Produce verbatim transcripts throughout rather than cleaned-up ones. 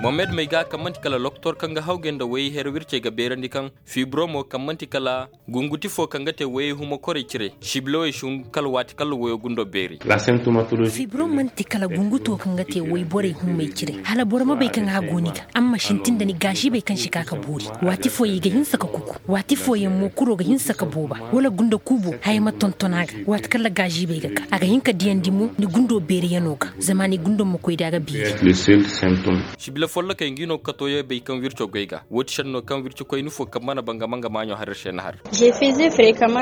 Mohamed may ga kaŋ man'ti kala loktor kaŋ ga hawgay nda wayey hera wircey ga beerandi kaŋ fibromo kaŋ man'ti kala gunguti fo kaŋ ga te wayey humakorey cire sibilawey si hun kala waati kala wayo gundo beeri. Fibrom man'ti kala gunguto kaŋ ga te wayborey hummey cire hala boro ma bay kaŋ a go ni ga amma sintin nda ni gaazibey kaŋ si ka ka boori. Waati fooyaŋ i ga hinsa ka kuku, waati fooyaŋ mo kuro ga hinsa ka booba, wala gunda kuubo haya ma tonton a ga. Waati kaŋ ra gaazibey ga ka a ga hin ka diyandi mo ni gundo beeriyano ga, zama ni gundo ma koy da a ga beeri. Sibila follokey ngi no ga kato yee bay kaŋ wirco goy ga. Woo ti sennoo kaŋ wirci koyni fo kaŋ mana banga manga maaɲo har ir se na har.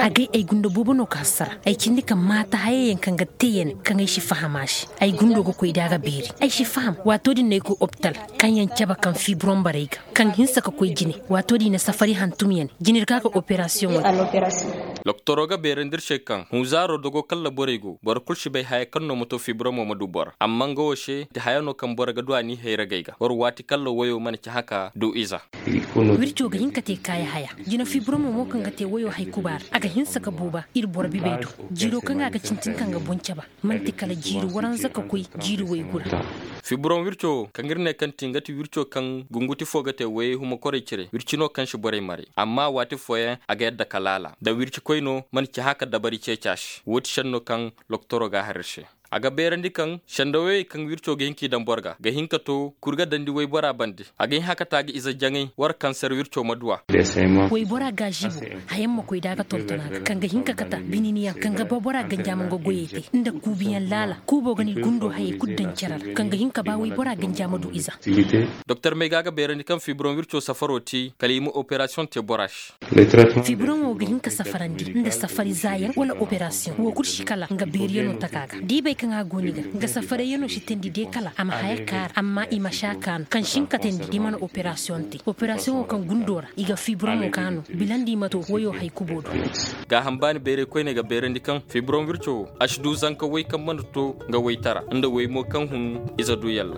Agay ay gunda boobo no ka hassara ay cindi ka maata hayayaŋ kaŋ ga te ya ne kaŋ ay si faham a se. Ay gundo ga koy da a ga beeri ay si faham waato din no ay koy opital, kaŋ yaŋ cabe kaŋ fiiburoŋ barey ga kaŋ hinsa ka koy jine. Waato din i na safari hantum ya ne jine ir ga a ga operasiyoŋo. Doktoroo ga beerandi ir se kaŋ hunzaaroo dogo kalla borey go boro kul si bay haya kaŋ no ma to fiiburoŋo ma du boro amma nga wo se ti haya no kaŋ boro ga du a n'i hayragey ga war waati kalla woyo mana ci haka du iza. Wirco ga hin ka te kaaya haya. Jina fiiburoŋo mo kaŋ ga te woyo hay kuba ra a ga hinsa ka booba ir boro bibey do. Jiiroo kaŋ a ga cintin kaŋ ga boŋ caba man'ti kala jiiri waranza ka koy jiiri woy gura. Fiiburoŋ wirco kaŋ ir ne kaŋ ti nga ti wirco kaŋ gunguti fo ga te woyey humakorey cire wirci no kaŋ si borey maray amma waati fooyaŋ a ga yadda ka laala da wirci koy no mana ci haka dabari ceeci a se woo ti senno kaŋ loktoroo ga a har ir se. A ga beerandi kaŋ sendawey kaŋ wirco ga hin k'i daŋ boro ga ga hin ka to kuri ga dandi woybora bande. A ga hin haka ta ga ize jaŋay war kanser wirco ma du a. Woybora gaazibo hayaŋ ma koy da a ga tonton a ga kaŋ ga hin ka kate bininiyaŋ kaŋ ga ba bora ganjaama nga goyey te nda kuubiyaŋ laala kuubo ga ni gundo hayey kul daŋ cere ra kaŋ ga hin ka ba woybora ganjaama du ize. Doktor may ga a ga beerandi kaŋ fiiburoŋ wirco safaroo te kala i ma operasiyoŋ te bora se. Fiiburoŋo ga hin ka safarandi nda safari zaayaŋ wala operasiyoŋ woo kul si kala nga beeriyanoo taka ga da i bay kaŋ a go ni ga nga safarayyanoo si teendi de kala a ma haya kaara amma i ma si a kaanu kaŋ si hin ka teendi da i mana operasiyoŋ te operasiyoŋo kaŋ gundoo ra i ga fiiburoŋo kaanu bilandi i ma to woyoo hay kuboo do. Gaaham baani bayray koyney ga beerandi kaŋ fiiburoŋ wirco woo a si du zanka woy kaŋ mana to nga woytara nda woy mo kaŋ hun ize du yalla.